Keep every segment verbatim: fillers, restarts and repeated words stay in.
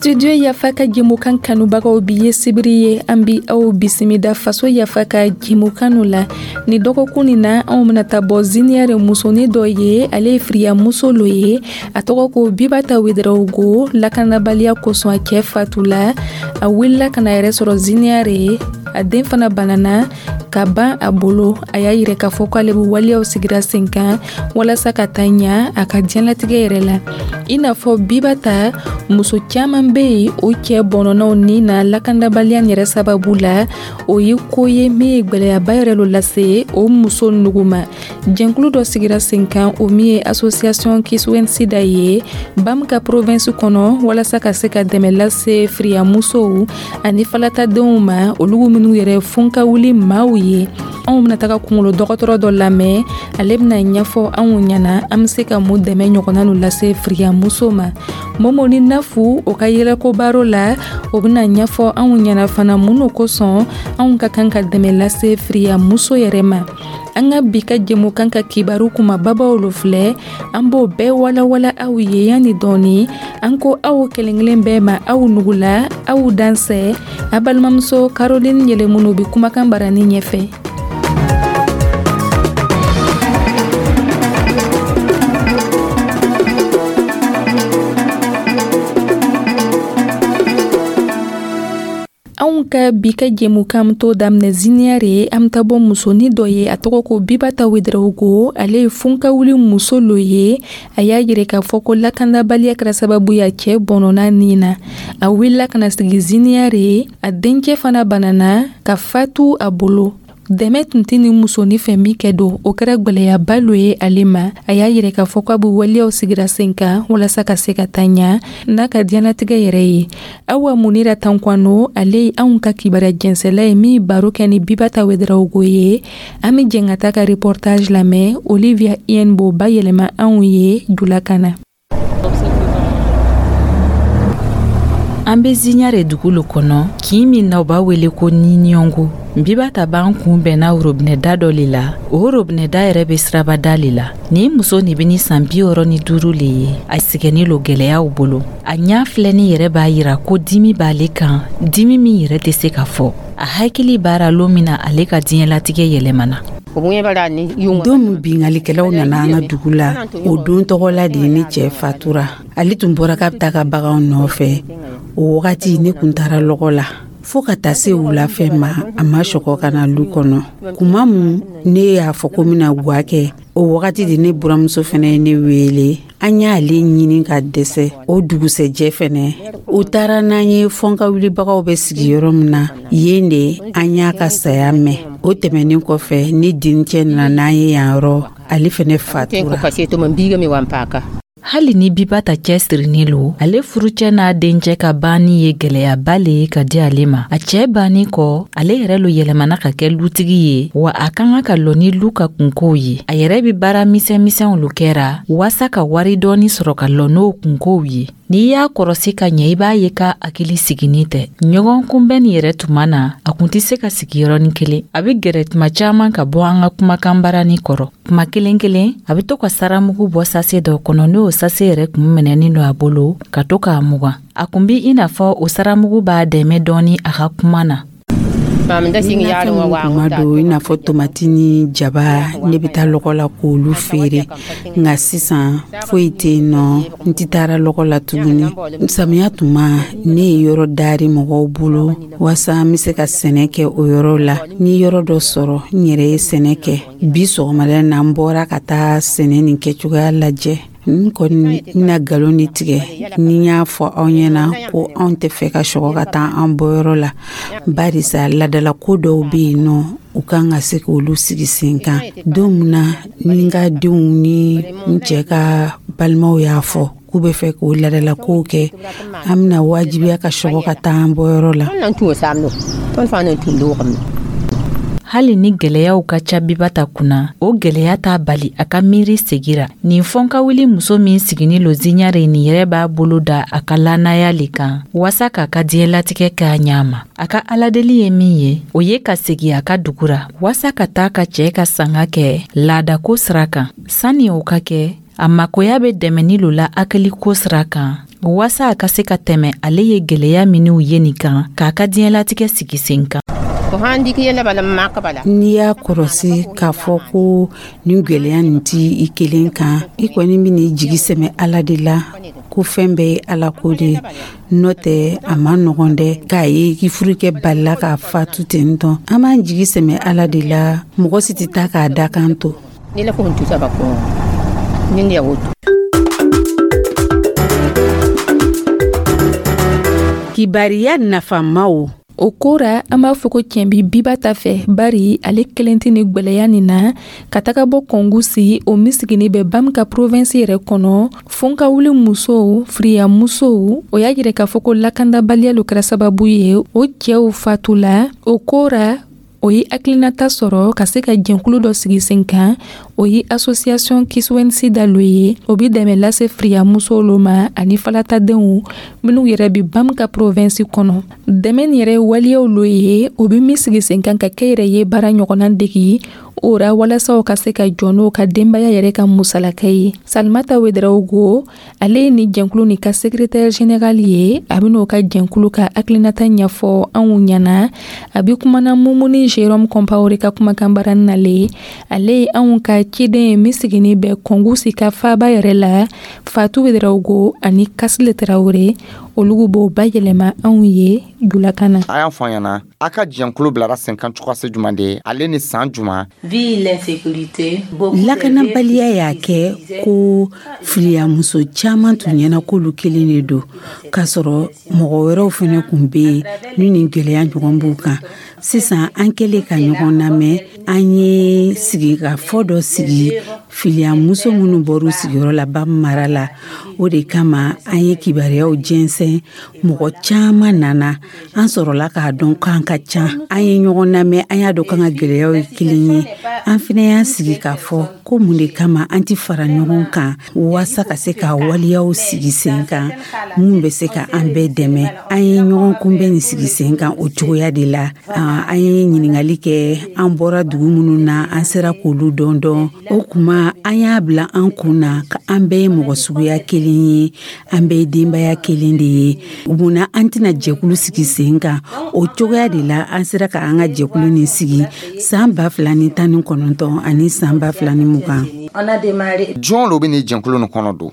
Studio Yafa ka jɛmukan kanubagaw bi ye sibiri ye, an bi aw bisimila Faso Yafa ka jɛmukan la. Ni dɔgɔkun nin na, anw bɛna taa bɔ Ziniyare musonin dɔ ye. Ale ye firiyamuso lo ye, a tɔgɔ ko Bibata Wedarawogo. Lakanabaliya kosɔn, a cɛ fatula, a wulila ka na yɛrɛ sɔrɔ Ziniyare ye. A den fana banana ka ban a bolo. A y'a yira k'a fɔ k'ale bɛ waleyaw sigira sen kan walasa ka taa ɲa a ka diɲɛlatigɛ yɛrɛ la. I n'a fɔ Bibata, muso caman bɛ yen, o cɛ bɔnɔnɔw ni na lakanabaliya yɛrɛ sababu la. O ye ko ye min ye gwɛlɛyaba yɛrɛ lo lase o muso nugu ma. Jɛnkulu dɔ sigira sen kan, o min ye Association Kiswensida ye Bam ka province kɔnɔ, walasa ka se ka dɛmɛ lase firiyamusow ani falatadenw ma, olu minnu yɛrɛ fun ka wuli maaw ye. Anw bɛna taga kunkolo dɔgɔtɔrɔ dɔ lamɛn. Ale bɛna ɲɛfɔ anw ɲɛna an bɛ se ka mun dɛmɛ ɲɔgɔnna nu lase firiyamuso ma. Momo ni Nafu, o ka yɛlɛko baro la, o bɛna ɲɛfɔ anw ɲɛna fana mun no kosɔn anw ka kan ka dɛmɛ lase firiyamuso yɛrɛ ma. An ka bi ka jɛmukan ka kibaru kumababaw lo filɛ, an b'o bɛɛ walawala aw ye yanni dɔɔni. An ko aw kelen kelen bɛɛ ma, aw nugula, aw dansɛ. A balimamuso Caroline Yɛlɛmunu bi kumakan barani ɲɛfɛ. Anw ka bi ka jɛmukan to daminɛ Ziniyare. An bɛ taa bɔ musonin dɔ ye, a tɔgɔ ko Bibata Wedarawogo. Ale ye funkawuli muso lo ye. A y'a yira k'a fɔ ko lakanabaliya kɛra sababu ye a cɛ bɔnɔna nin na. A wulila ka na sigi Ziniyare, a dencɛ fana banana ka fatu a bolo. Dɛmɛ tun tɛ ni musonin fɛ min kɛ don, o kɛra gwɛlɛyaba lo ye ale ma. A y'a yira k'a fɔ k'a bɛ waleyaw sigira sen kan walasa ka se ka taa ɲa n'a ka diɲɛlatigɛ yɛrɛ ye. Awa Munira Tankwano, ale ye anw ka kibaruya jɛnsɛla ye min baro kɛ ni Bibata Wedarawogo ye. An bɛ jɛn ka taa ka reportage lamɛn. Olivia Ien b'o bayɛlɛma anw ye julakan na. An be Ziɲare dugu lo kɔnɔ, kin min na u b'a wele ko Niniyɔngo. Bibata b'an kun bɛnna robinɛda dɔ le la. O robinɛda yɛrɛ be sirabada le la. Nin muso nin be ni san bi wɔrɔ ni duuru le ye. A sigɛnni lo gwɛlɛyaw bolo. A ɲa filɛni yɛrɛ b'a yira ko dimi b'ale kan, dimi min yɛrɛ tɛ se ka fɔ. A hakili b'ara lon min na ale ka diɲɛlatigɛ yɛlɛmana. Don min bingalikɛlaw nana an ka dugu la, o don tɔgɔla de ye ne cɛ fatura. Ale tun bɔra k'a bɛ taa ka baganw nɔfɛ. O wagati ne kun taara lɔgɔ la fɔɔ ka taa se wulafɛ ma, a ma sɔgɔ ka na lu kɔnɔ. Kuma mun ne y'a fɔ ko bɛna gwa kɛ, o wagati de ne buramuso fɛnɛ ye ne wele. An y'ale ɲini ka dɛsɛ. O dugusɛjɛ fɛnɛ, u taara n'an ye fɔnka wulibagaw bɛ sigi yɔrɔ min na, yen de an y'a ka saya mɛn. O tɛmɛnin kɔfɛ, ne dencɛ nana n'an ye yan yɔrɔ, ale fɛnɛ fatura. Hali ni Bibata cɛsirinin lo, ale furucɛ n'a dencɛ ka banni ye gwɛlɛyaba le ye ka di ale ma. A cɛɛ banni kɔ, ale yɛrɛ lo yɛlɛmana ka kɛ lutigi ye, wa a ka kan ka lɔ ni lu ka kunkow ye. A yɛrɛ be baara misɛn misɛnw lo kɛra waasa ka wari dɔɔni sɔrɔ ka lɔ n'o kunkow ye. N'i y'a kɔrɔsi ka ɲɛ, i b'a ye k'a hakili siginin tɛ. Ɲɔgɔn kunbɛn nin yɛrɛ tuma na, a kun tɛ se ka sigi yɔrɔnin kelen. A be gɛrɛ tuma caaman ka bɔ an ka kumakan barani kɔrɔ. Tuma kelen kelen, a be to ka saramugu bɔ sase dɔ kɔnɔ, n'o sase yɛrɛ kun minɛnin don a bolo, ka to k'a mugan. A kun bi i n'a fɔ o saramugu b'a dɛmɛ dɔɔni a ka kuma na. Kuma don, i n'a fɔ tomati ni jaba, ne bɛ taa lɔgɔ la k'olu feere. Nka sisan foyi tɛ yen nɔ, n tɛ taara lɔgɔ la tuguni. Samiya tuma, ne ye yɔrɔ dari mɔgɔw bolo waasa n bɛ se ka sɛnɛ kɛ o yɔrɔ la. N ye yɔrɔ dɔ sɔrɔ, n yɛrɛ ye sɛnɛ kɛ. Bi sɔgɔmada na, n bɔra ka taa sɛnɛ nin kɛcogoya lajɛ. N kɔni na nkalon de tigɛ ni n y'a fɔ aw ɲɛna ko anw tɛ fɛ ka sɔgɔ ka taa an bɔyɔrɔ la, barisa ladalako dɔw bɛ yen nɔ, u kan ka se k'olu sigi sen kan. Don min na ni n ka denw ni n cɛ ka balimaw y'a fɔ k'u bɛ fɛ k'o ladalakow kɛ, an bɛna wajibiya ka sɔgɔ ka taa an bɔyɔrɔ la. Hali ni gwɛlɛyaw ka ca Bibata kunna, o gwɛlɛya t'a bali a ka miiri segira. Nin fɔnkawuli muso min sigini lo Ziɲare nin yɛrɛ b'a bolo da a ka lannaya le kan waasa k'a ka diɲɛlatigɛ kɛ a ɲa ma. A ka aladeli ye min ye, o ye ka segi a ka dugu ra waasa ka taa ka cɛɛ ka sanga kɛ laadako sira kan. Sanni o ka kɛ, a makoya bɛ dɛmɛni lo la hakiliko sira kan. Waasa a ka se ka tɛmɛ ale ye gwɛlɛya minw ye nin kan k'a ka diɲɛlatigɛ sigi sen kan. N'i y'a kɔrɔsi k'a fɔ ko nin gwɛlɛya nin ti i kelen kan, i kɔni bɛn'i jigi sɛmɛ Ala de la, ko fɛn bɛɛ ye Ala ko de ye. N'o tɛ, a ma nɔgɔn dɛ k'a ye k'i furukɛ balila k'a fatu ten tɔn. An b'an jigi sɛmɛ Ala de la, mɔgɔ si tɛ taa k'a dakan to. Kibariya nafamaw. O ko ra, an b'a fɔ ko tiɲɛ bi Biba ta fɛ, bari ale kelen tɛ ni gwɛlɛya nin na ka taga bɔ Kongoussi, o min sigini bɛ Bam ka province yɛrɛ kɔnɔ. Fonkawuli musow, firiya musow, o y'a yira k'a fɔ ko lakandabaliya lo kɛra sababu ye o cɛw fatula. O ko ra, o ye hakilinata sɔrɔ ka se ka jɛnkulu dɔ sigi sen kan, o ye association Kiswensi dalo ye. O bi dɛmɛ lase firiya musow lo ma ani falatadenw minnu yɛrɛ bi Bam ka province kɔnɔ. Dɛmɛ nin yɛrɛ waleyaw lo ye, o bi min sigi sen kan ka kɛ yɛrɛ ye baara ɲɔgɔnna degi o ra, walasa o ka se ka jɔ n'o ka denbaya yɛrɛ ka musalaka ye. Salimata Ouédraogo, ale ye ni jɛnkulu nin ka secrétaire général ye. A bɛn'o ka jɛnkulu ka hakilinata ɲɛfɔ anw ɲɛna. A bi kumana Mumuni Jérôme Compaoré ka kumakan baara nale. Ale ye anw ka ciden ye min sigini bɛ Kongoussi ka faaba yɛrɛ la. Fatou Ouédraogo ani Kasile Traoré, olugu b'o bayɛlɛma anw ye julakan na. A y'a fɔ an ɲɛna, a ka jɛnkulu bilara sen kan cogoya se juman de ye, ale ni san juman? Lakanabaliya y'a kɛ ko filiyamuso caman tun ɲɛna k'olu kelen de don, k'a sɔrɔ mɔgɔ wɛrɛw fɛnɛ kun bɛ yen ni nin gwɛlɛya ɲɔgɔn b'u kan. Sisan an kɛlen ka ɲɔgɔn lamɛn, an ye sigikafɔ dɔ sigi filiyamuso minnu bɔr'u sigiyɔrɔ la Bam mara la. O de kama an ye kibaruyaw jɛnsɛn, mɔgɔ caman nana. An sɔrɔla k'a dɔn k'an ka ca. An ye ɲɔgɔn lamɛn, an y'a dɔn k'an ka gɛlɛyaw ye kelen ye. An fana y'an sigi k'a fɔ ko mun de kama an ti fara ɲɔgɔn kan waasa ka se ka waleyaw sigi sen kan mun bɛ se ka an bɛɛ dɛmɛ. An ye ɲɔgɔn kunbɛn nin sigi sen kan o cogoya de la. An ye ɲininkali kɛ, an bɔra dugu minnu na, an sera k'olu dɔn dɔn. O kuma an y'a bila an kun na ka an bɛɛ ye mɔgɔ suguya kelen ye, an bɛɛ ye denbaya kelen de ye. Munna an tɛna jɛkulu sigi sen kan? O cogoya de la an sera ka an ka jɛkulu nin sigi san ba fila ni tan ni kɔnɔntɔn ani san ba fila ni mugan. Jɔn lo bɛ nin jɛnkulu nin kɔnɔ don?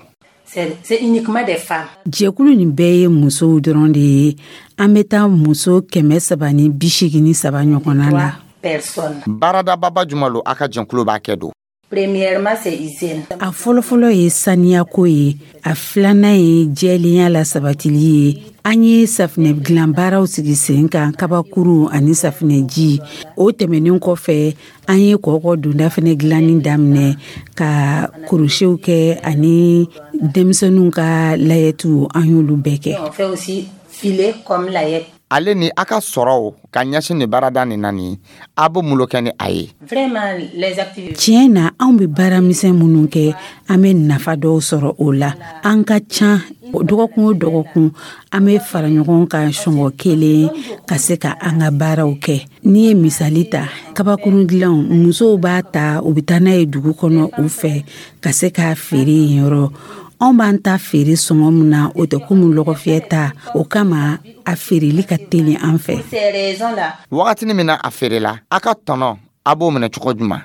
Jɛkulu nin bɛɛ ye musow dɔrɔn de ye. An bɛ taa muso kɛmɛ saba ni bi seegin ni saba ɲɔgɔnna la. Baaradababa jumɛn lo a ka jɛnkulu b'a kɛ don? A fɔlɔfɔlɔ ye saniyako ye, a filanan ye jɛlenya la sabatili ye. An ye safinɛ dilan baaraw sigi sen kan, kabakuru ani safinɛji. O tɛmɛnen kɔfɛ, an ye kɔkɔ donda fɛnɛ dilanni daminɛ, ka kurusiw kɛ ani denmisɛnninw ka layɛtiw, an y'olu bɛɛ kɛ. Ale ni a ka sɔrɔw ka ɲɛsin nin baarada nin na nin, a bɛ mun kɛ ni a ye? Tiɲɛ na, anw bɛ baara misɛn minnu kɛ, an bɛ nafa dɔw sɔrɔ o la. An ka ca, dɔgɔkun o dɔgɔkun an bɛ fara ɲɔgɔn kan sɔngɔ kelen ka se ka an ka baaraw kɛ. N'i ye misali ta, kabakurun dilanw, musow b'a ta, u bɛ taa n'a ye dugu kɔnɔ u fɛ ka se k'a feere yen yɔrɔ. Anw b'an ta feere sɔngɔ min na, o tɛ komi lɔgɔfiyɛ ta. O kama a feereli ka teli an fɛ. Wagatinin min na a feerela, a ka tɔnɔ a b'o minɛ cogo jumɛn?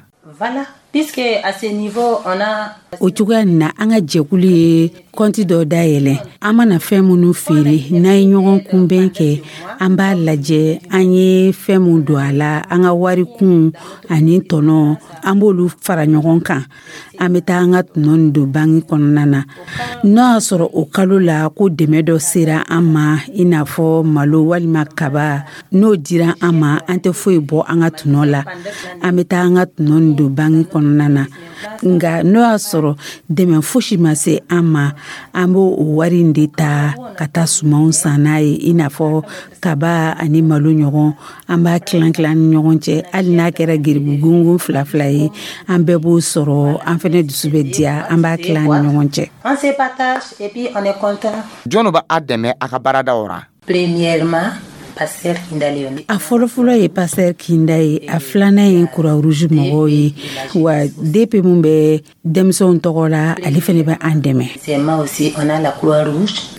O cogoya nin na, an ka jɛkulu ye kɔnti dɔ dayɛlɛ. An mana fɛn minnu feere, n'an ye ɲɔgɔn kunbɛn kɛ, an b'a lajɛ an ye fɛn mun don a la, an ka warikun ani tɔnɔ, an b'olu fara ɲɔgɔn kan. An bɛ taa an ka tɔnɔ nin don banki kɔnɔna na. N'o y'a sɔrɔ o kalo la ko dɛmɛ dɔ sera an ma, i n'a fɔ malo walima kaba, n'o dira an ma, an tɛ foyi bɔ an ka tɔnɔ la. An bɛ taa an ka tɔnɔ nin don banki kɔnɔna na. Nka n'o y'a sɔrɔ dɛmɛ fosi ma se an ma, an b'o o wari in de ta ka taa sumanw san n'a ye, i n'a fɔ kaba ani malo ɲɔgɔn. An b'a tilan tilan ni ɲɔgɔn cɛ, hali n'a kɛra geribu gongon fila fila ye, an bɛɛ b'o sɔrɔ, an fɛnɛ dusu bɛ diya, an b'a tilan ni ɲɔgɔn cɛ. Jɔn b'a dɛmɛ a ka baaradaw ra? A fɔlɔfɔlɔ ye Pasteur Kinda ye, a filanan ye Croix-Rouge mɔgɔw ye, wa D P mun bɛ denmisɛnw tɔgɔ la, ale fɛnɛ bɛ an dɛmɛ.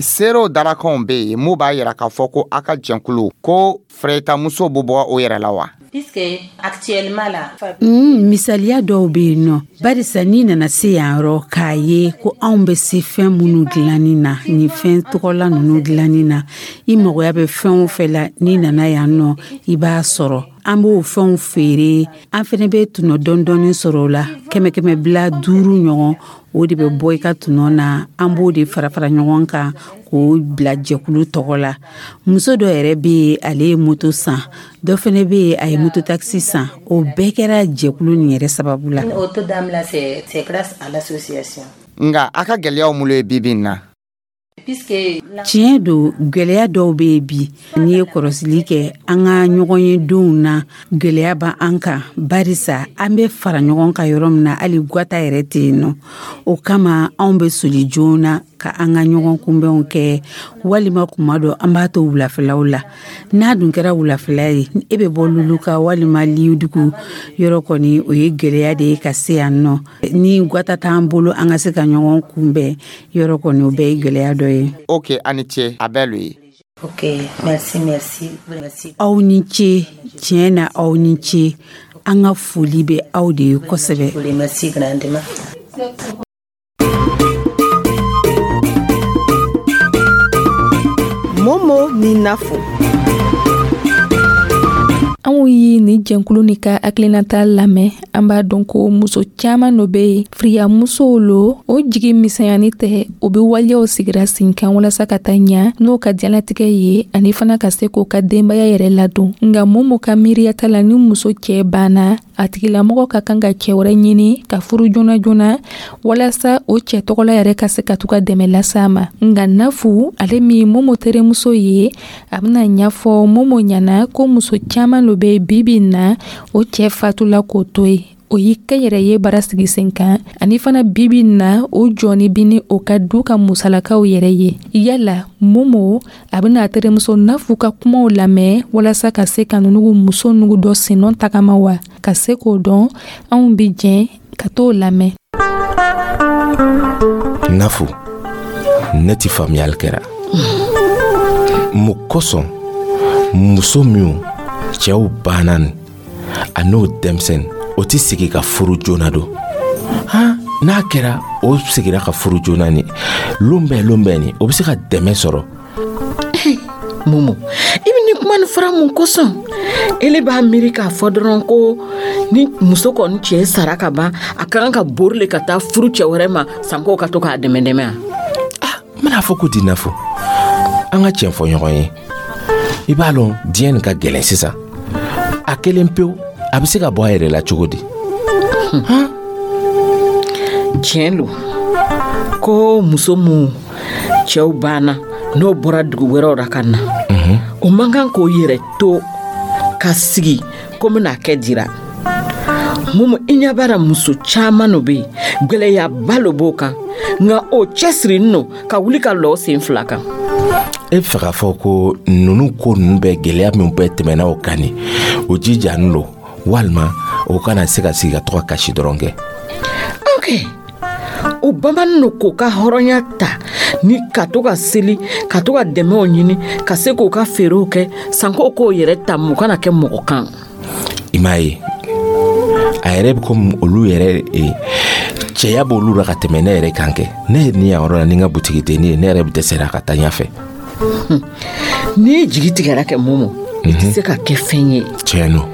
Seerew darakanw bɛ yen mun b'a yira k'a fɔ ko a ka jɛnkulu ko fɛrɛtamuso bɛ bɔ o yɛrɛ la wa? Mm, misaliya dɔw bɛ yen nɔ, barisa n'i nana se yan yɔrɔ k'a ye ko anw bɛ se fɛn minnu dilanni na, nin fɛn tɔgɔla ninnu dilanni na, i magoya bɛ fɛn o fɛn la, n'i nana yan nɔ, i b'a sɔrɔ. An b'o fɛnw feere, an fɛnɛ bɛ tɔnɔ dɔɔni dɔɔni sɔrɔ o la, kɛmɛ kɛmɛ bila duuru ɲɔgɔn, o de bɛ bɔ i ka tɔnɔ na. An b'o de fara fara ɲɔgɔn kan k'o bila jɛkulu tɔgɔ la. Muso dɔ yɛrɛ bɛ yen, ale ye moto san, dɔ fɛnɛ bɛ yen, a ye moto takisi san. O bɛɛ kɛra jɛkulu nin yɛrɛ sababu la. Nka a ka gɛlɛyaw mun ye bi bi in na? Tiɲɛ don, gwɛlɛya dɔw bɛ yen bi. N'i ye kɔrɔsili kɛ an ka ɲɔgɔn ye donw na, gwɛlɛya b'an kan, barisa an bɛ fara ɲɔgɔn kan yɔrɔ min na, hali gwata yɛrɛ tɛ yen nɔ. O kama anw bɛ soli joona ka an ka ɲɔgɔn kunbɛnw kɛ, walima kuma dɔ an b'a to wulafɛlaw la. N'a dun kɛra wulafɛla ye, e bɛ bɔ Luluka walima Liyudugu yɔrɔ kɔni, o ye gwɛlɛya de ye ka se yan nɔ. Ni gwata t'an bolo, an ka se ka ɲɔgɔn kunbɛn yɔrɔ kɔni, o bɛɛ ye gwɛlɛya dɔ ye. Ok, a ni ce, a bɛɛ lo ye. Aw ni ce, tiɲɛ na, aw ni ce. An ka foli bɛ aw de ye kosɛbɛ. Momo ni Nafo. Anw ye nin jɛnkulu ni ka hakilinata lamɛn, an b'a dɔn ko muso caaman dɔ be yen, firiyamusow lo, o jigi misɛnyani tɛ, o be waleyaw sigira sen kan walasa ka taa ɲa n'o ka diɲɛlatigɛ ye, ani fana ka se k'o ka denbaya yɛrɛ ladon. Nga Momo ka miiriyata la, ni muso cɛɛ banna, a tigilamɔgɔ ka kan ka cɛɛ wɛrɛ ɲini ka furu joona joona, walasa o cɛɛ tɔgɔla yɛrɛ ka se ka to ka dɛmɛ lase a ma. Nga Nafu, ale min Momo terimuso ye, a bena ɲafɔ Momo ɲana ko muso caaman lo be bibi na, o cɛɛ fatula k'o to yen, o y'i kɛ yɛrɛ ye baara sigi sen kan, ani fana bibi na o jɔni bi ni o ka du ka musalakaw yɛrɛ ye. Yala Momo a bena a terimuso Nafu ka kumaw lamɛn walasa ka se ka nunugu muso nugu dɔ sennɔ tagama wa? Ka se k'o dɔn, anw bi jɛn ka t'o lamɛn. Nafu, ne ti faamuyali kɛra mun kosɔn muso minw cɛw banna nin a n'o denmisɛnnin, o tɛ sigi ka furu joona don han? N'a kɛra o sigira ka furu joona ni lon bɛɛ lon bɛɛ ni o bɛ se ka dɛmɛ sɔrɔ. Momo, i bɛ nin kuma nin fara mun kosɔn? Ele b'a miiri k'a fɔ dɔrɔn ko ni muso kɔni cɛ sara ka ban, a ka kan ka bori le ka taa furu cɛ wɛrɛ ma, sanko ka to k'a dɛmɛ dɛmɛ a? Ah, n bɛna fɔ ko di? Nafo, an ka tiɲɛ fɔ ɲɔgɔn ye. I b'a lɔn, diɲɛ nin ka gɛlɛn sisan. A kelen pewu, a bɛ se ka bɔ a yɛrɛ la cogo di? Tiɲɛ lo ko muso mun cɛw banna, n'o bɔra dugu wɛrɛw la ka na, o man kan k'o yɛrɛ to ka sigi ko bɛna kɛ dira. Momo, i ɲɛ b'a la, muso caaman no be yen, gwɛlɛyaba lo b'o kan, nka o cɛsirinin no ka wuli ka lɔ sen fila kan. E bɛ fɛ k'a fɔ ko ninnu ko ninnu bɛɛ, gɛlɛya min bɛɛ tɛmɛna o kan nin, o jijanin lo, walima o kana se ka sigi ka to ka kasi dɔrɔn kɛ? Ok, o bamanin no k'o ka hɔrɔnya ta ni ka to ka seli, ka to ka dɛmɛw ɲini, ka se k'o ka feerew kɛ, sanko k'o yɛrɛ ta mun kana kɛ mɔgɔ kan. I m'a ye, a yɛrɛ bɛ komi olu yɛrɛ eh, cɛya b'olu la ka tɛmɛ ne yɛrɛ kan kɛ. Ne ye nin yan yɔrɔ la ni n ka butigidenni ye, ne yɛrɛ bɛ dɛsɛra ka taa ɲɛfɛ. N'i jigi tigɛra kɛ, Momo, i tɛ se ka kɛ fɛn ye. Tiɲɛ no.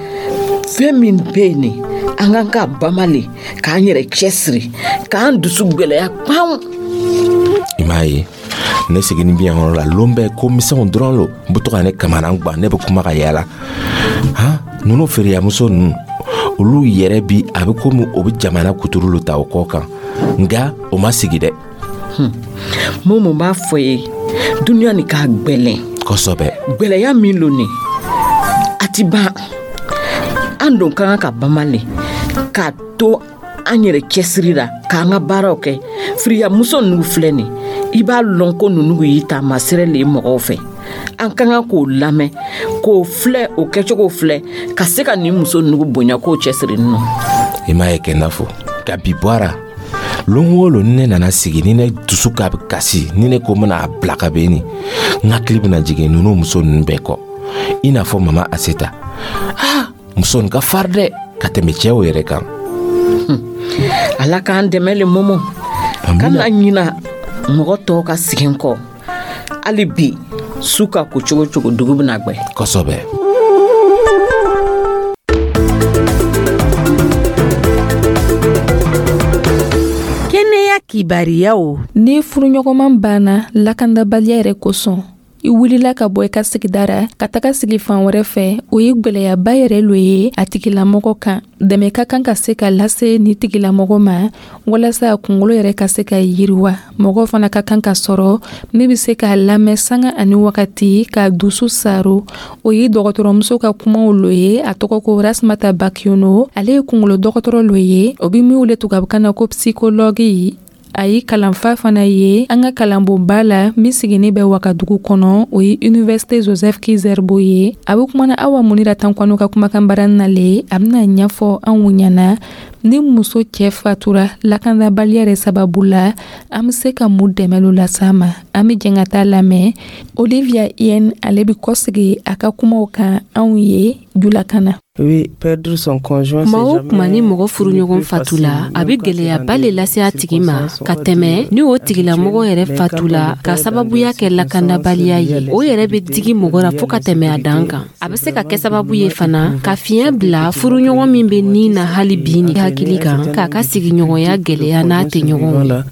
Fɛn min bɛ yen nin, an kan ka bama le k'an yɛrɛ cɛsiri, k'an dusu gwɛlɛya kpan. I m'a ye, ne seginni bi yan yɔrɔ la, lon bɛɛ ko misɛnw dɔrɔn lo n bɛ to ka ne kamana gwan. Ne bɛ kuma ka yaala han. Ninnu feereyamuso ninnu, olu yɛrɛ bi a bɛ komi o bɛ jamana kuturu lo ta o kɔ kan, nka o ma sigi dɛ. Momo b'a fɔ ye, duniya nin k'a gwɛlɛn. Kosɛbɛ. Gwɛlɛya min lo nin, a ti ban. An don ka kan ka bama le k'a to an yɛrɛ cɛsiri la, k'an ka baaraw kɛ. Firiyamuso ninnu filɛ nin, i b'a lɔn ko ninnu y'i taamasirɛ le ye mɔgɔw fɛ. An ka kan k'o lamɛn, k'o filɛ, o kɛcogo filɛ, ka se ka nin muso ninnu bonya k'o cɛsiri nɔ. I m'a ye kɛ n'a fɔ ka bi bɔra lon o lon, ni ne nana sigi, ni ne dusu ka kasi, ni ne ko n bɛna a bila ka bɛn nin, n hakili bɛna jigin ninnu muso ninnu bɛɛ kɔ, i n'a fɔ Mama Aseta. Ah, muso nin ka fari dɛ ka tɛmɛ cɛw yɛrɛ kan. Ala k'an dɛmɛ le, Momo. Kana ɲina mɔgɔ tɔw ka segin kɔ. Hali bi, su ka ko cogo cogo, dugu bɛna gbɛ. Kosɛbɛ. Kɛnɛya kibariyaw. Ni furuɲɔgɔnman banna lakandabaliya yɛrɛ kosɔn, i wulila ka bɔ i ka sigida ra ka taga sigi fan wɛrɛ fɛ, o ye gwɛlɛyaba yɛrɛ lo ye a tigilamɔgɔ kan. Dɛmɛ ka kan ka se ka lase ni tigilamɔgɔ ma walasa a kungolo yɛrɛ ka se ka yiriwa. Mɔgɔ fana ka kan ka sɔrɔ min bɛ se k'a lamɛn sanga ani wagati, k'a dusu saro. O ye dɔgɔtɔrɔmuso ka kumaw lo ye. A tɔgɔ ko Rasmata Bakiono. Ale ye kungolo dɔgɔtɔrɔ lo ye, o bɛ min wele tubabukan na ko psychologue. A ye kalanfa fana ye an ka kalanbonba la min sigilen bɛ Wagadugu kɔnɔ, o ye Université Joseph Ki-Zerbo ye. A bɛ kumana Awa Munira Tankwano ka kumakan baara nale. A bɛna ɲɛfɔ anw ɲɛna, ni muso cɛ fatura lakanabaliya yɛrɛ sababu la, an bɛ se ka mun dɛmɛ lo las'a ma. An bɛ jɛn ka taa lamɛn. Olivia Yen, ale bɛ kɔsegi a ka kumaw kan anw ye julakan na. Kuma o kuma ni mɔgɔ furuɲɔgɔn fatula, a bɛ gɛlɛyaba le lase a tigi ma ka tɛmɛ ni o tigilamɔgɔ yɛrɛ fatula ka sababuya kɛ lakandabaliya ye. O yɛrɛ bɛ digi mɔgɔ la fo ka tɛmɛ a dan kan. A bɛ se ka kɛ sababu ye fana ka fiɲɛ bila furuɲɔgɔn min bɛ nin na hali bi ni hakili kan, k'a ka sigiɲɔgɔnya gɛlɛya n'a tɛɲɔgɔnw.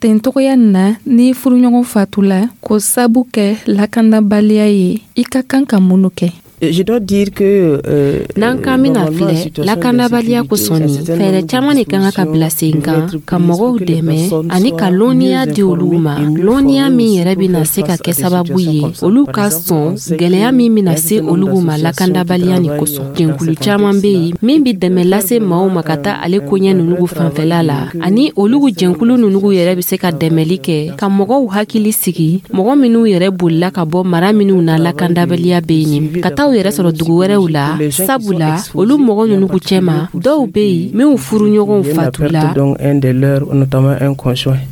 Ten togoya na, ni furuɲɔgɔn fatula ko sabu kɛ lakandabaliya ye, i ka kan ka mun kɛ? Je dois dire que euh, n'an k'an bɛna filɛ lakanabaliya kosɔn, nin fɛɛrɛ caman de kan ka bila sen kan ka mɔgɔw dɛmɛ ani ka lɔnniya di olu ma, lɔnniya min yɛrɛ bɛna se ka kɛ sababu ye olu ka sɔn gɛlɛya min bɛna se olu ma lakandabaliya nin kosɔn. Jɛnkulu caman bɛ yen min bɛ dɛmɛ lase maaw ma ka taa ale koɲɛ ninnu fanfɛla la, ani olu jɛnkulu ninnu yɛrɛ bɛ se ka dɛmɛli kɛ ka mɔgɔw hakili sigi, mɔgɔ minnu yɛrɛ bolila ka bɔ mara minnu na lakandabaliya bɛ yen, ka taa yɛrɛ sɔrɔ dugu wɛrɛw la, sabula olu mɔgɔ ninnu cɛma dɔw bɛ yen minnu furuɲɔgɔnw fatula.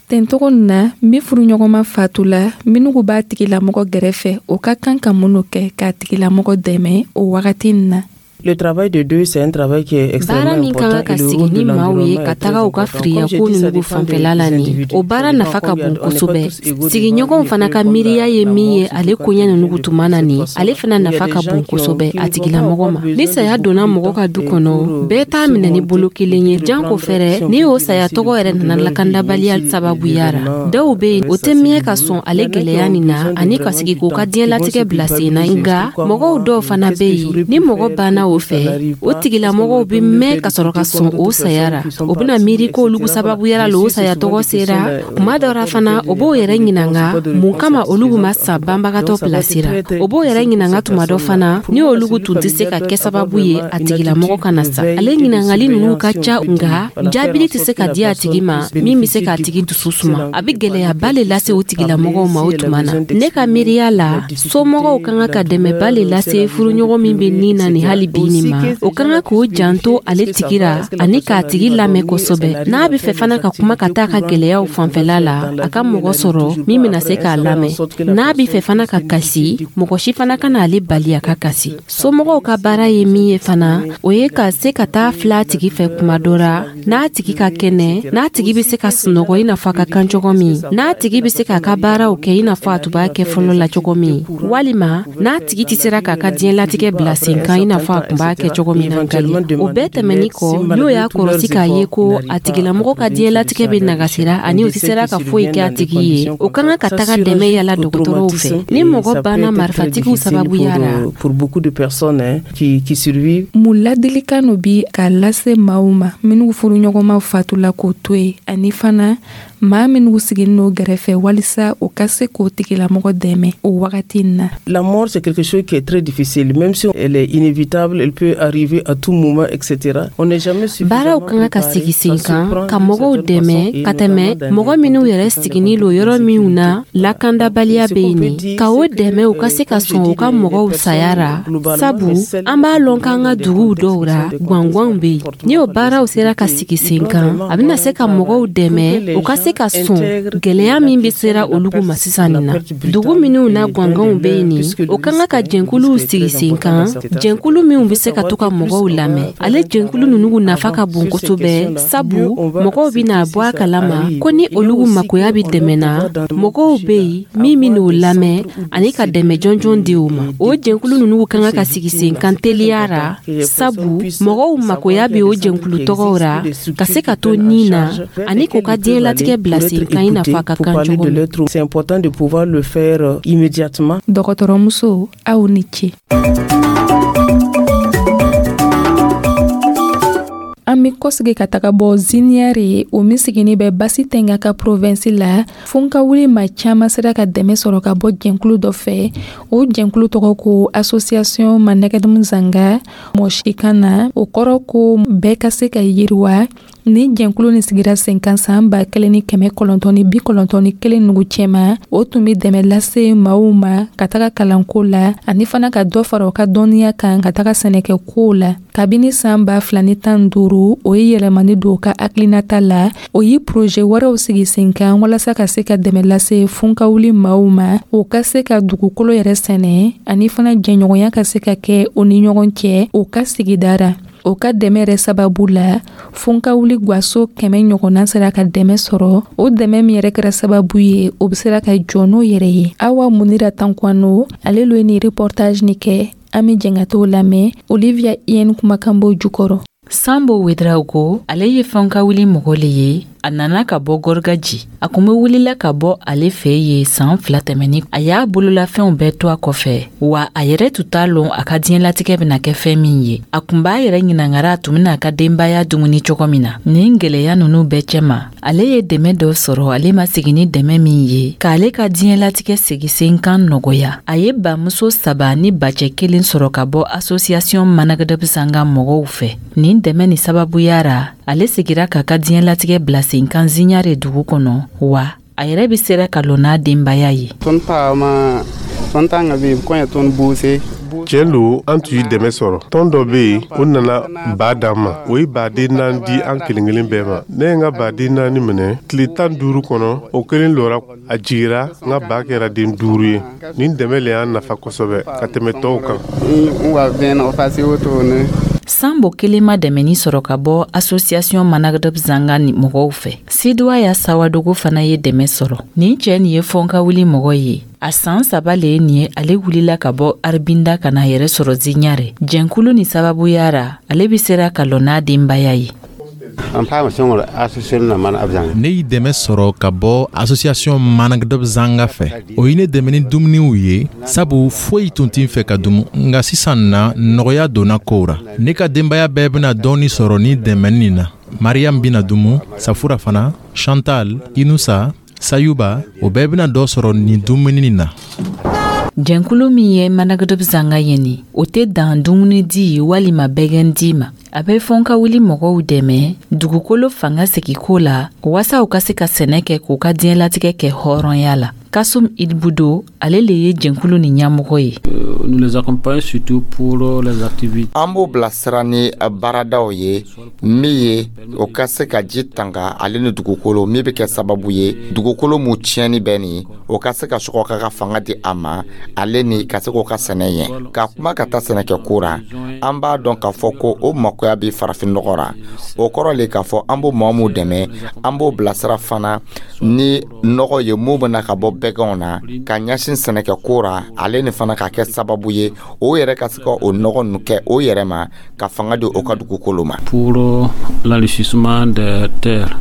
Ten togo na, min furuɲɔgɔnma fatula, minnu b'a tigilamɔgɔ gɛrɛfɛ, o ka kan ka mun kɛ k'a tigilamɔgɔ dɛmɛ o wagati in na? Le travail de deux, c'est un travail qui est extrêmement Baara min kan ka sigi ni maaw ye ka taga u ka firiyako ninnu fanfɛla la nin, o baara nafa ka bon kosɛbɛ. Sigiɲɔgɔnw fana ka miiriya ye min ye ale koɲɛ ninnu tuma na nin, ale fana nafa ka bon kosɛbɛ a tigilamɔgɔ ma. Ni saya donna mɔgɔ ka du kɔnɔ, bɛɛ t'a minɛ ni bolo kelen ye, janko fɛrɛ ni o saya tɔgɔ yɛrɛ nana lakandabaliya sababuya ra. Dɔw bɛ yen, o tɛ miɲɛ ka sɔn ale gɛlɛya nin na ani ka sigi k'u ka diɲɛlatigɛ bila sen na. Nka mɔgɔw dɔw fana bɛ yen, ni mɔgɔ banna o fɛ, o tigilamɔgɔw bɛ mɛn ka sɔrɔ ka sɔn o saya ra. O bɛna miiri k'olu sababuyara la o saya tɔgɔ sera. Kuma dɔ ra fana, o b'o yɛrɛ ɲininka mun kama olu ma sa banbagatɔ pilasira. O b'o yɛrɛ ɲininka tuma dɔ fana ni olu tun tɛ se ka kɛ sababu ye a tigilamɔgɔ kana sa. Ale ɲininkali ninnu ka ca, nka jaabili tɛ se ka di a tigi ma min bɛ se k'a tigi dusu suma. A bɛ gɛlɛyaba le lase o tigilamɔgɔw ma o tuma na. Ne ka miiriya la, somɔgɔw ka kan ka dɛmɛba le lase furuɲɔgɔn min bɛ nin na nin hali bi nin ma. O ka kan k'o janto ale tigi ra ani k'a tigi lamɛn kosɛbɛ. N'a bɛ fɛ fana ka kuma ka taa ka gɛlɛyaw fanfɛla la, a ka mɔgɔ sɔrɔ min bɛna se k'a lamɛn. N'a bɛ fɛ fana ka kasi, mɔgɔ si fana kana ale bali a ka kasi. Somɔgɔw ka baara ye min ye fana, o ye ka se ka taa filɛ a tigi fɛ kuma dɔ ra, n'a tigi ka kɛnɛ, n'a tigi bɛ se ka sunɔgɔ i n'a fɔ a ka kan cogo min, n'a tigi bɛ se k'a ka baaraw kɛ i n'a fɔ a tun b'a kɛ fɔlɔ la cogo min, walima n'a tigi tɛ sera k'a ka diɲɛlatigɛ bila sen kan i n'a fɔ a tun b'a kɛ cogo min na nkali. O bɛɛ tɛmɛni kɔ, n'o y'a kɔlɔsi k'a ye ko a tigilamɔgɔ ka diɲɛlatigɛ bɛ nagasira ani o tɛ sera ka foyi kɛ a tigi ye, o ka kan ka taga dɛmɛ yala dɔgɔtɔrɔw fɛ. Ni mɔgɔ banna marifatigiw sababuya la. Mun ladilikan no bi k'a lase maaw ma minnu furuɲɔgɔnma fatula k'o to yen, ani fana Maa minnu siginin n'o gɛrɛfɛ walisa u ka se k'o tigilamɔgɔ dɛmɛ o wagati in na. La mort, c'est quelque chose qui est très difficile, même si elle est inévitable, elle peut arriver à tout moment, et cetera. On n'est jamais Baaraw ka kan ka sigi sen kan ka mɔgɔw dɛmɛ ka tɛmɛ mɔgɔ minw yɛrɛ siginin lo yɔrɔ minw na lakandabaliya bɛ yen nin, ka o dɛmɛ u ka se ka sɔn u ka mɔgɔw saya ra, sabu an b'a lɔn k'an ka duguw dɔw ra gwangwanw bɛ yen. Ni o baaraw sera ka sigi sen kan, a bɛna se ka mɔgɔw dɛmɛ u ka se ka sɔn gwɛlɛya min bɛ sera olugu ma sisan nin na. Dugu minw na gwangwanw bɛ yen nin, o ka kan ka jɛnkuluw sigi sen kan, jɛnkulu minw bɛ se ka to ka mɔgɔw lamɛn. Ale jɛnkulu ninnu nafa ka bon kosɛbɛ, sabu mɔgɔw bɛna bɔ a kalama ko ni olugu makoya bɛ dɛmɛ na, mɔgɔw bɛ yen min bɛn'o lamɛn ani ka dɛmɛ jɔnjɔn di o ma. O jɛnkulu ninnu ka kan ka sigi sen kan teliya ra, sabu mɔgɔw makoya bɛ o jɛnkulu tɔgɔw ra ka se ka to nin na ani k'u ka diɲɛlatigɛ bila sen kan i n'a fɔ a ka kan cogo min. C'est important de pouvoir le faire immédiatement. Dɔgɔtɔrɔmuso, aw ni ce. An be kɔsegi ka taga bɔ Ziniyare, o min sigini bɛ Basi Tɛnga ka provinsi la. Fonkawuli ma caaman sera ka dɛmɛ sɔrɔ ka bɔ jɛnkulu dɔ fɛ. O jɛnkulu tɔgɔ ko Association Manɛgɛdum Zanga mɔsikan na, o kɔrɔ ko bɛɛ ka se ka yiriwa. Ni jɛnkulu ni sigira sen kan saan ba kelen ni kɛmɛ kɔnɔntɔn ni bi kɔnɔntɔn ni kelen nugu cɛma, o tun be dɛmɛ lase maaw ma ka taga kalanko la ani fana ka dɔ fara u ka dɔnniya kan ka taga sɛnɛkɛ kow la. Kabini saan ba fila ni tan duuru, o ye yɛlɛmani don ka hakilinata la. O ye projet wɛrɛw sigi sen kan walasa ka se ka dɛmɛ lase funkawuli maaw ma, o ka se ka dugukolo yɛrɛ sɛnɛ ani fana jɛɲɔgɔnya ka se ka kɛ o ni ɲɔgɔn cɛ o ka sigidara. O ka dɛmɛ yɛrɛ sababu la, funkawuli gwaso kɛmɛ ɲɔgɔnna sera ka dɛmɛ sɔrɔ. O dɛmɛ min yɛrɛ kɛra sababu ye, o be sera ka jɔ n'o yɛrɛ ye. Awa Munira Tankwano, ale lo ye ni reportage ni kɛ. An be jɛn ka t'o lamɛn Olivia Ien kumakan b'o jukɔrɔ. Sambo Wedraogo, ale ye fɛnkawuli mɔgɔ le ye. A nana ka bɔ Gɔrgaji. A kun be wulila ka bɔ ale fɛ ye saan fila tɛmɛni. A y'a bololafɛnw bɛɛ to a kɔfɛ, wa a yɛrɛ tun t'a lɔn a ka diɲɛlatigɛ bena kɛ fɛn min ye. A kun b'a yɛrɛ ɲinangara a tun bena a ka denbaya dumuni cogo min na. Nin gwɛlɛya nunu bɛɛ cɛma, ale ye dɛmɛ dɔ sɔrɔ ale ma sigi ni dɛmɛ min ye k'ale ka diɲɛlatigɛ segi sen kan nɔgɔya. A ye bamuso saba ni bacɛ kelen sɔrɔ ka bɔ Association Managdabsanga mɔgɔw fɛ. Nin dɛmɛ ni sababuya ra, ale segira k'a ka diɲɛlatigɛ bila sen kan Ziɲare dugu kɔnɔ, wa a yɛrɛ be sera ka lɔ n'a denbaya ye. Tiɲɛ lo, an tun ye dɛmɛ sɔrɔ. Tɔn dɔ be yen, o nana baa d'an ma. O ye baden naani di an kelen kelen bɛɛ ma. Ne ye n ka baden naani minɛ, tile tan duuru kɔnɔ, o kelen lɔra, a jigira, n ka baa kɛra den duuru ye. Nin dɛmɛ le y'an nafa kosɛbɛ ka tɛmɛ tɔw kan. Sanbo kelen ma dɛmɛni sɔrɔ ka bɔ Association Managdab Zanga ni mɔgɔw fɛ. Siduwa Sawadogo fana ye dɛmɛ sɔrɔ. Nin cɛɛ nin ye fɔnkawuli mɔgɔ ye. A saan saba le ye nin ye ale wulila ka bɔ Aribinda ka na yɛrɛ sɔrɔ Ziɲare. Jɛnkulu ni sababuya ra, ale be sera ka lɔ n'a denbaya ye. Ne y'i dɛmɛ sɔrɔ ka bɔ Association Managdɔb Zanga fɛ. O ye ne dɛmɛ ni dumuniw ye, sabu foyi tun tɛ n fɛ ka dumu. Nka sisan na, nɔgɔya donna kow ra. Ne ka denbaya bɛɛ bɛna dɔɔni sɔrɔ ni dɛmɛni nin na. Mariam bɛna dumu, Safura fana, Chantal, Inusa, Sayuba, o bɛɛ bɛna dɔ sɔrɔ nin dumuni nin na. Jɛnkulu min ye Managdɔb Zanga ye nin, o tɛ dan dumuni di walima bɛgɛn di ma. A bɛ fɔnkawuli mɔgɔw dɛmɛ dugukolo fanga segiko la waasa u ka se ka sɛnɛ kɛ k'u ka diɲɛlatigɛ kɛ hɔrɔnya la. Kasum Ilbudo, ale le ye jɛnkulu ni ɲɛmɔgɔ ye. An b'o bilasira ni baaradaw ye min ye o ka se ka ji tanga ale ni dugukolo, min bɛ kɛ sababu ye dugukolo mu tiɲɛni bɛ nin, o ka se ka sɔgɔ ka ka fanga di a ma, ale ni ka se k'o ka sɛnɛ ɲɛ. Ka kuma ka taa sɛnɛkɛ ko ra, an b'a dɔn k'a fɔ ko o makoya bɛ farafin nɔgɔ ra. O kɔrɔ le k'a fɔ an b'o maa mun dɛmɛ, an b'o bilasira fana ni nɔgɔ ye mun bɛna ka bɔ bɛgɛnw na ka ɲɛsin sɛnɛkɛ ko ra, ale ni fana ka kɛ sababu ye o yɛrɛ ka se ka o nɔgɔ ninnu kɛ o yɛrɛ ma ka fanga di o ka dugukolo ma. Pour l'enrichissement des terres.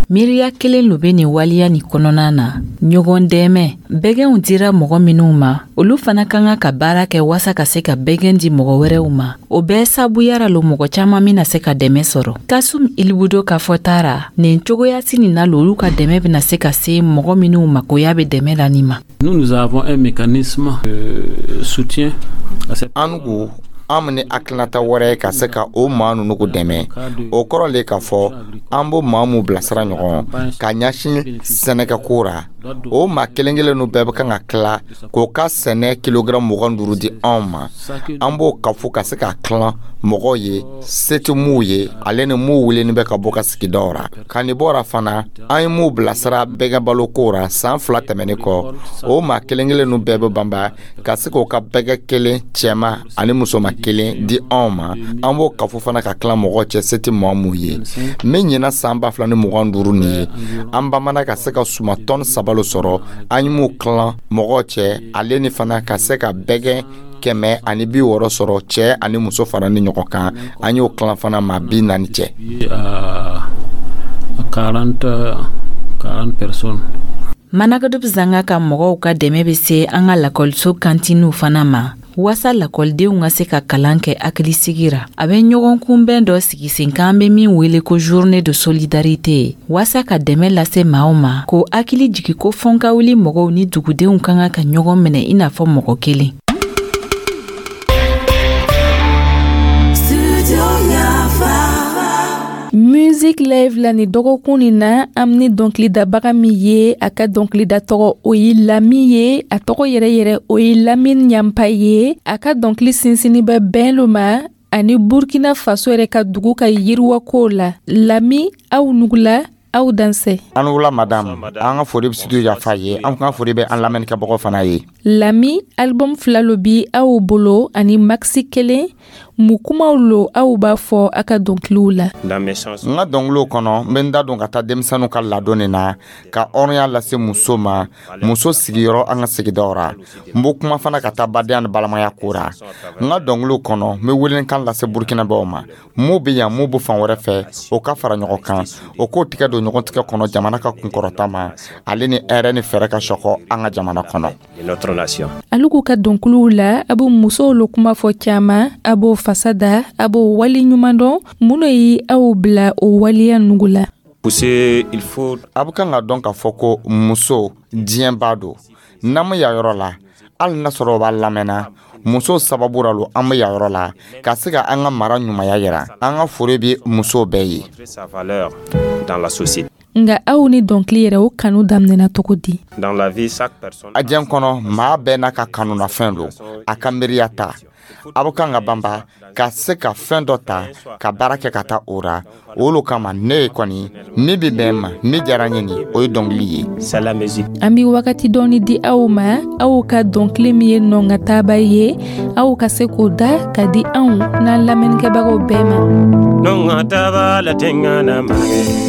Miiriya kelen lo be nin waleya nin kɔnɔna na, ɲɔgɔn dɛmɛ. Bɛgɛnw dira mɔgɔ minw ma, olu fana ka kan ka baara kɛ waasa ka se ka bɛgɛn di mɔgɔ wɛrɛw ma. O bɛɛ sabuyara lo mɔgɔ caaman bena se ka dɛmɛ sɔrɔ. Kasum Ilibudo ka fɔta ra, nin cogoyasi nin na lo olu ka dɛmɛ bena se ka se mɔgɔ minw makoya be dɛmɛ la nin ma. Nous, nous avons un mécanisme de soutien à cette An ko an ni hakilinata wɛrɛ ye ka se ka o maa ninnu ko dɛmɛ. O kɔrɔ le k'a fɔ an b'o maa mun bilasira ɲɔgɔn ka ɲɛsin sɛnɛkɛko ra. O maa kelen kelen nu bɛɛ bɛ kan ka tila k'o ka sɛnɛ kilogaramu mugan duuru di anw ma. An b'o kafo ka se ka tilan mɔgɔw ye se tɛ m'u ye, ale ni m'u weleni bɛ ka bɔ ka sigidaw ra. Ka nin bɔra fana, an ye m'u bilasira bɛgɛ baloko ra san fila tɛmɛnen kɔ. O maa kelen kelen nu bɛɛ bɛ banba ka se k'o ka bɛgɛ kelen cɛma ani musoma kelen di anw ma. An b'o kafo fana ka tila mɔgɔw cɛ se tɛ maa mun ye. Min ɲina san ba fila ni mugan duuru nin ye, an bamana ka se ka suma tɔni saba lo sɔrɔ. An ye m'u tilan mɔgɔw cɛ, ale ni fana ka se ka bɛgɛ kɛmɛ ani bi wɔɔrɔ sɔrɔ, cɛɛ ani muso fara ni ɲɔgɔn kan. An y'o tilan fana maa bi naani cɛ. À quarante, quarante personnes. Managadub Zanga ka mɔgɔw ka dɛmɛ bɛ se an ka lakɔliso kantiniw fana ma, waasa lakɔlidenw ka se ka kalan kɛ hakilisigi ra. A bɛ ɲɔgɔn kunbɛn dɔ sigi sen kan, an bɛ min wele ko journée de solidarité, waasa ka dɛmɛ lase maaw ma, k'o hakili jigi ko fɔnkawuli mɔgɔw ni dugudenw ka kan ka ɲɔgɔn minɛ i n'a fɔ mɔgɔ kelen. Music Live la ni dɔgɔkun nin na, an ni dɔnkilidabaga min ye, a ka dɔnkilida tɔgɔ o ye Lami ye. A tɔgɔ yɛrɛ yɛrɛ o ye Lamine Ɲanpa ye. A ka dɔnkili sinsinni bɛ bɛn lo ma ani Burkina Faso yɛrɛ ka dugu ka yiriwako la. Lami, aw nugula, aw dansɛ. An wula madame, an ka foli bɛ Studio Yafa ye, an ka foli bɛ an lamɛnnikɛbagaw fana ye. Lami, album fila lo bi aw bolo ani maxi kelen. Mun kumaw lo aw b'a fɔ a ka dɔnkiliw la? N ka dɔnkiliw kɔnɔ, n bɛ n da don ka taa denmisɛnninw ka ladon nin na, ka hɔrɔnya lase muso ma, muso sigiyɔrɔ an ka sigidaw ra. N b'o kuma fana ka taa badenya ni balimaya ko ra. N ka dɔnkiliw kɔnɔ, n bɛ welelikan lase Burkinabɛw ma, mun bɛ yan, mun bɛ fan wɛrɛ fɛ, o ka fara ɲɔgɔn kan, o k'o tigɛ don ɲɔgɔn tigɛ kɔnɔ jamana ka kunkɔrɔta ma, ale ni hɛrɛ ni fɛɛrɛ ka sɔkɔ an ka jamana kɔnɔ. Alu k'u ka dɔnkiliw la, a bɛ musow lo kuma fɔ caman, a b'o fasa da, a b'o wali ɲuman dɔn. Mun de ye aw bila o waleya nugu la? A bɛ kan ka dɔn k'a fɔ ko muso diɲɛba don. N'an bɛ yan yɔrɔ la, hali n'a sɔrɔ o b'a lamɛnna, muso sababu ra lo an bɛ yan yɔrɔ la ka se ka an ka mara ɲumanya yira. An ka foli bɛ musow bɛɛ ye. Nka aw ni dɔnkili yɛrɛ, o kanu daminɛna cogo di? A diɲɛ kɔnɔ, maa bɛɛ n'a ka kanunafɛn don, a ka miiriya ta. A bɛ kan ka banba ka se ka fɛn dɔ ta ka baara kɛ ka taa o ra. O lo kama ne ye kɔni min bɛ bɛn ma, min diyara n ye nin, o ye dɔnkili ye. An bɛ wagati dɔɔni di aw ma, aw ka dɔnkili min ye nɔnkataba ye, aw ka se k'o da ka di anw n'an lamɛnnikɛbagaw bɛɛ ma. Nɔnkataba la tɛŋana manage,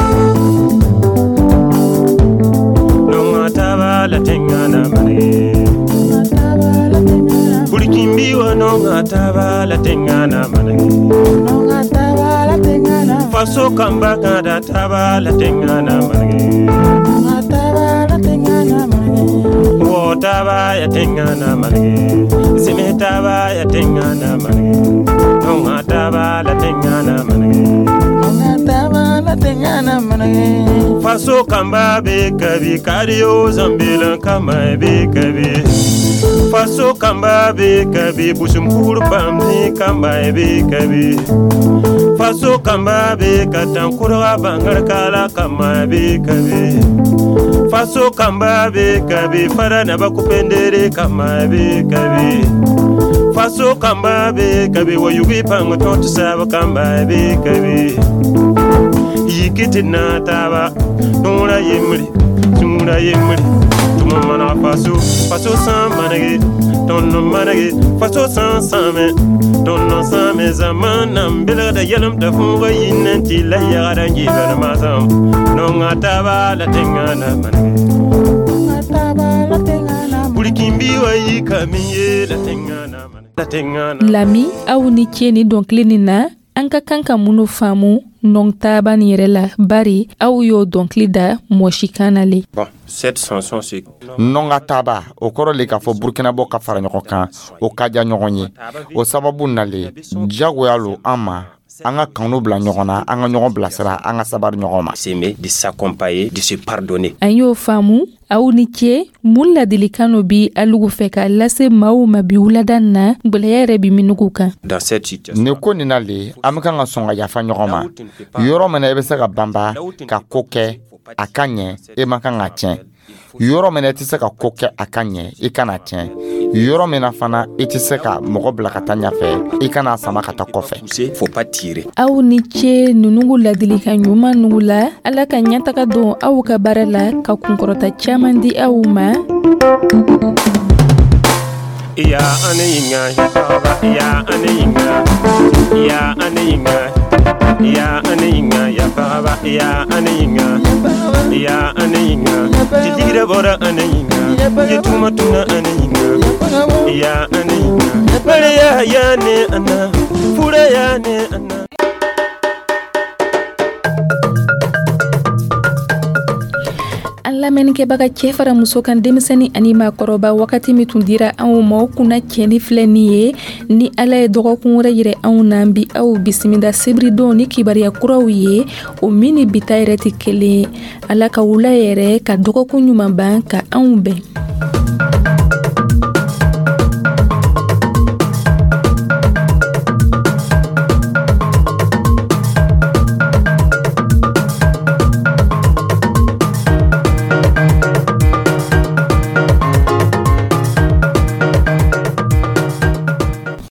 nɔnkataba la tɛŋana manage, Burkinbiwa nɔnkataba la tɛŋana manage, faso kanba ka da taba la tɛŋana manage, wɔ taba ya tɛŋana manage, seme taba ya tɛŋana manage, nɔnkataba la tɛŋana manage. Faso kanba bɛ kabi kariyo zambelan kama bɛ kabi, faso kanba bɛ kabi busumkuru bamni kama bɛ kabi, faso kanba bɛ ka tan kura bangarkala kama bɛ kabi, faso kanba bɛ kabi fara naba kupendere kama bɛ kabi, faso kanba bɛ kabi wayugi pango tonto saba kama bɛ kabi. Yikiti na taba nura yemri tumura yemri tuma mana faso faso san manage tonno manage faso san same tonno same zamana mbela da yalam da funga yinnen ti la yara ngi bana masam nonga taba la tengana manage Burkinbi wa yikamiye la tengana la tengana. Lami, aw ni ce ni dɔnkili nin na. An ka kan ka minnu faamu nɔntaba nin yɛrɛ la, bari aw y'o dɔnkili da mɔsikan na le? Bon, cette chanson, c'est Nɔnga taba, o kɔrɔ le k'a fɔ Burkinabɔ ka fara ɲɔgɔn kan, o ka diya ɲɔgɔn ye. O sababu nalen, diyagoya lo an ma, an ka kanu bila ɲɔgɔn na, an ka ɲɔgɔn bilasira, an ka sabari ɲɔgɔn ma. S'aimer, de s'accompagner, de se pardonner. An y'o faamu, aw ni ce. Mun ladilikan no bi alugu fɛ k'a lase maaw ma bi wulada na, gwɛlɛya yɛrɛ bi minugu kan? Dans cette situation, Nin ko nin na le, an bɛ kan ka sɔn ka yafa ɲɔgɔn ma. Yɔrɔ min na i bɛ se ka banba ka ko kɛ a ka ɲɛ, e man kan ka tiɲɛ. Yɔrɔ min na i tɛ se ka ko kɛ a ka ɲɛ, i kana tiɲɛ. Yɔrɔ min na fana i tɛ se ka mɔgɔ bila ka taa ɲɛfɛ, i kana sama ka taa kɔfɛ. Pousser, faut pas tirer. Aw ni ce nunugu ladilikan ɲuman nugu la. Ala ka ɲɛtaga don aw ka baara la, ka kunkɔrɔta caaman di aw ma. Ya ane yinga ya baba, ya ane yinga, ya ane yinga, ya ane yinga ya baba, ya ane yinga, ya ane yinga, jigira bora ane yinga, ya tuma tuna ane yinga, ya ane yinga, bare ya ya ne ana fura ya ne ana. An lamɛnnikɛbaga, cɛɛ fara muso kan, denmisɛni ani maakɔrɔba, wagati min tun dira anw ma, o kunna cɛni filɛ nin ye. Ni Ala ye dɔgɔkun wɛrɛ yirɛ anw na, bi aw bisimila sibiridon ni kibariya kuraw ye, o min ni bita yɛrɛ tɛ kelen ye. Ala ka wula yɛrɛ ka dɔgɔkun ɲuman ban ka anw bɛn.